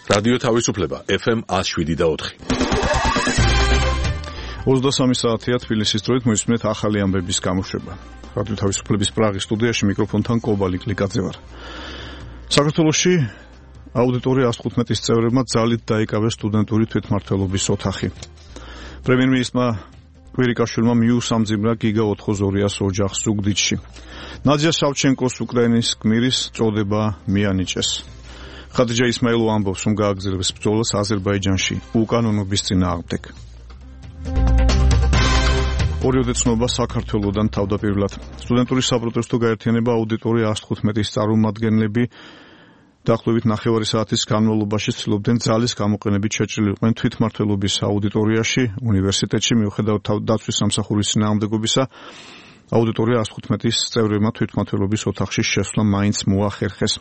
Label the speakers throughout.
Speaker 1: რადიო თავისუფლება FM 107.4.
Speaker 2: 23 საათია თბილისის დროით მოისმინეთ ახალი ამბების გამოშვება. რადიო თავისუფლების პრაღის სტუდიაში მიკროფონთან კობალი კლიკაძე ვარ. საქართველოში აუდიტორია 115-ის წევრებმა ძალით დაიკავეს სტუდენტური თვითმმართველობის ოთახი. პრემიერ-მინისტრმა კვირიკაშვილმა მიუსამძიმრა გიგა 8200 ოჯახს ზუგდიდში. ნადია სავჩენკოს უკრაინის გმირის წოდება მიანიჭეს. ხადიჯა ისმაილოვა ამბობს, რომ გააგრძელებს ბრძოლას აზერბაიჯანში უკანონობის წინააღმდეგ. ორიოდე ცნობა საქართველოდან თავდაპირველად. სტუდენტური საპროტესტო გაერთიანება აუდიტორია 115-ის წარმომადგენლები დაახლოებით 9 საათის განმავლობაში ცდილობდნენ ძალის გამოყენებით შეჭრილიყვნენ თვითმმართველობის აუდიტორიაში, უნივერსიტეტში მიუხედავად დაცვის სამსახურის წინააღმდეგობისა. აუდიტორია 115-ის წევრებმა თვითმმართველობის ოთახში შესვლა მაინც მოახერხეს.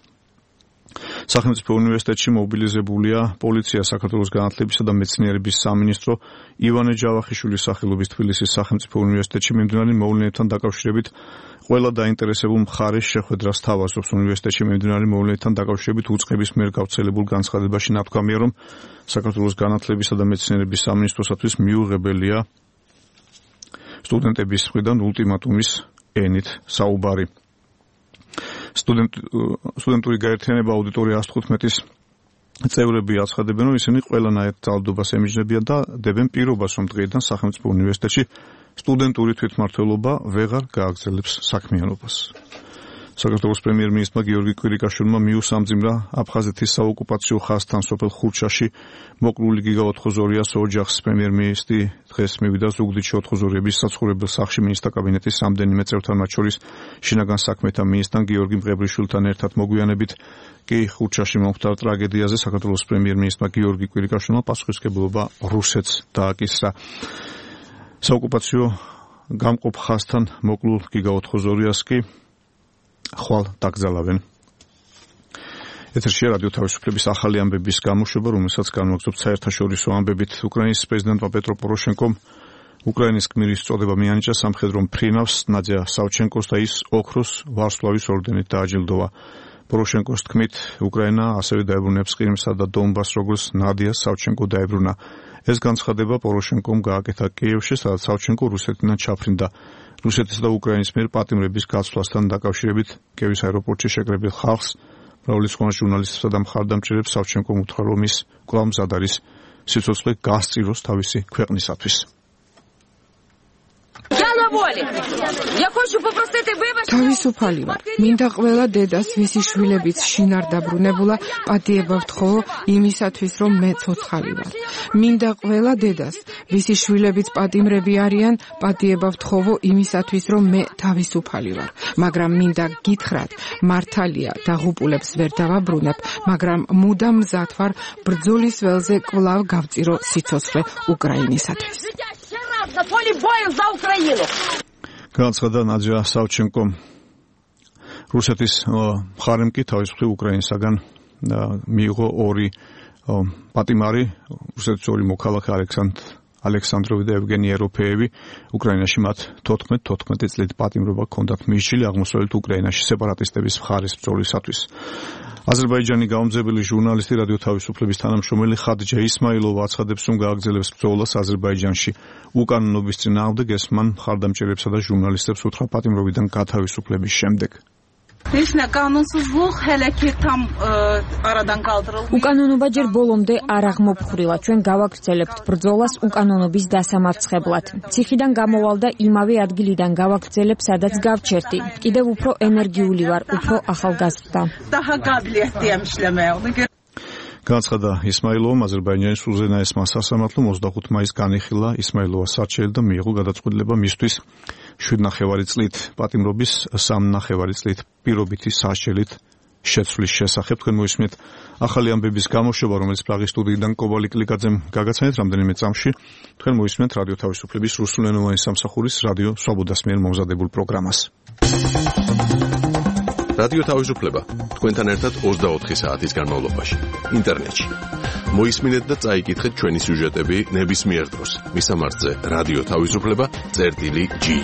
Speaker 2: სახელმწიფო უნივერსიტეტში მობილიზებულია პოლიცია, საქართველოს განათლებისა და მეცნიერების სამინისტრო, ივანე ჯავახიშვილის სახელობის თბილისის სახელმწიფო უნივერსიტეტში მიმდინარე მოვლენებთან დაკავშირებით ყველა დაინტერესებულ მხარეს შეხვედრას თავაზობს. უნივერსიტეტში მიმდინარე მოვლენებთან დაკავშირებით უწყების მიერ გავრცელებულ განცხადებაში ნათქვამია, რომ საქართველოს განათლებისა და მეცნიერების სამინისტროსათვის მიუღებელია სტუდენტების მხრიდან ულტიმატუმის ენით საუბარი. სტუდენტური გაერთიანება აუდიტორია 115-ის წევრები აცხადებენ, რომ ისინი ყველანაირ ძალადობას ემიჯნებიან და დებენ პირობას, რომ დღეიდან სახელმწიფო უნივერსიტეტში სტუდენტური თვითმმართველობა ვეღარ გააგრძელებს საქმიანობას. საქართველოს პრემიერ-მინისტრმა გიორგი კვირიკაშვილმა მიუსამძიმრა აფხაზეთის საოკუპაციო ხაზთან სოფელ ხურჩაში მოკლული გიგა 8200 ოჯახს. პრემიერ-მინისტრი დღეს მივიდა ზუგდიდში 8200-ების საცხოვრებელ სახლში მინისტრთა კაბინეტის რამდენიმე წევრთან, მათ შორის შინაგან საქმეთა მინისტრთან გიორგი მყებრიშვილთან ერთად მოგვიანებით კი ხურჩაში მომხდარ ტრაგედიაზე საქართველოს პრემიერ-მინისტრმა გიორგი კვირიკაშვილმა პასუხისმგებლობა რუსეთს დააკისრა. საოკუპაციო გამყოფ ხაზთან მოკლულ გიგა 8200-ს კი ხვალ დაკრძალავენ. ეთერშია რადიო თავისუფლების ახალი ამბების გამოშვება, რომელსაც განვაგრძობთ საერთაშორისო ამბებით. უკრაინის პრეზიდენტმა პეტრო პოროშენკომ უკრაინის გმირის წოდება მიანიჭა სამხედრო მფრინავს ნადია სავჩენკოს და ის ოქროს ვარსკვლავის ორდენით დააჯილდოვა. პოროშენკოს თქმით, უკრაინა ასევე დაებრუნებს ყირიმსა და დონბასს, როგორც ნადია სავჩენკო დაებრუნა. ეს განცხადება პოროშენკომ გააკეთა კიევში, სადაც სავჩენკო რუსეთიდან ჩაფრინდა. რუსეთის და უკრაინის მიერ პატიმრების გაცვლასთან დაკავშირებით კიევის აეროპორტში შეკრებილ ხალხს, მრავალი სხვა ჟურნალისტსა და მხარდამჭერებს სავჩენკომ უთხრა, რომ ის კვლავ მზად არის სიცოცხლე გასწიროს თავისი ქვეყნისათვის.
Speaker 3: თავისუფალი ვარ. მინდა ყველა დედას, ვისი შვილებიც შინარ დაბრუნებულა, პატიება ვთხოვო იმისათვის, რომ მე ცოცხალი ვარ. მინდა ყველა დედას, ვისი შვილებიც პატიმრები არიან, პატიება ვთხოვო იმისათვის, რომ მე თავისუფალი ვარ. მაგრამ მინდა გითხრათ, მართალია, დაღუპულებს ვერ დავაბრუნებ, მაგრამ მუდამ მზად ვარ ბრძოლის ველზე კვლავ გავწირო სიცოცხლე უკრაინისათვის.
Speaker 2: განცხადა ნადია სავჩენკომ. რუსეთის მხარემ კი თავისუფლი უკრაინისაგან მიიღო ორი პატიმარი, რუსეთის ორი მოქალაქე ალექსანდროვი და ევგენი ეროფეევი. უკრაინაში მათ 14 წლით პატიმრობა ჰქონდათ მისჯილი აღმოსავლეთ უკრაინაში სეპარატისტების მხარის ბრძოლისათვის. აზერბაიჯანი გაუმძებელი ჟურნალისტი, რადიო თავისუფლების თანამშრომელი ხადიჯა ისმაილოვა აცხადებს, რომ გააგრძელებს ბრძოლას აზერბაიჯანში უკანონობის წინააღმდეგ. ეს მან მხარდამჭერებსა და ჟურნალისტებს უთხრა პატიმრობიდან გათავისუფლების შემდეგ.
Speaker 4: უკანონობა ჯერ ბოლომდე არ აღმოფხვრილა. ჩვენ გავაგრძელებთ ბრძოლას უკანონობის დასამარცხებლად. ციხიდან გამოვალ და იმავე ადგილიდან გავაგრძელებ, სადაც გავჩერდი. კიდევ უფრო ენერგიული ვარ, უფრო ახალგაზრდა.
Speaker 2: განცხადა ისმაილოვამ. აზერბაიჯანის უზენაესმა სასამართლომ 25 მაისს განიხილა ისმაილოვას საჩელი და მიიღო გადაწყვეტილება მისთვის 7,5 წლით პატიმრობის, 3,5 წლით პირობითი საშელით შეცვლის შესახებ. თქვენ მოისმენთ ახალი ამბების გამოშვება, რომელიც პრაღის სტუდიიდან კობალი კლიკაძემ გაგაცანეთ რამდენიმე წამში. თქვენ მოისმენთ რადიო თავისუფლების რუსულენოვანი სამსახურის რადიო სვაბოდას მიერ მომზადებულ პროგრამას.
Speaker 1: რადიო თავისუფლება თქვენთან ერთად 24 საათის განმავლობაში ინტერნეტში. მოისმინეთ და წაიკითხეთ ჩვენი სიუჟეტები ნებისმიერ დროს. მისამართზე რადიო თავისუფლება.gi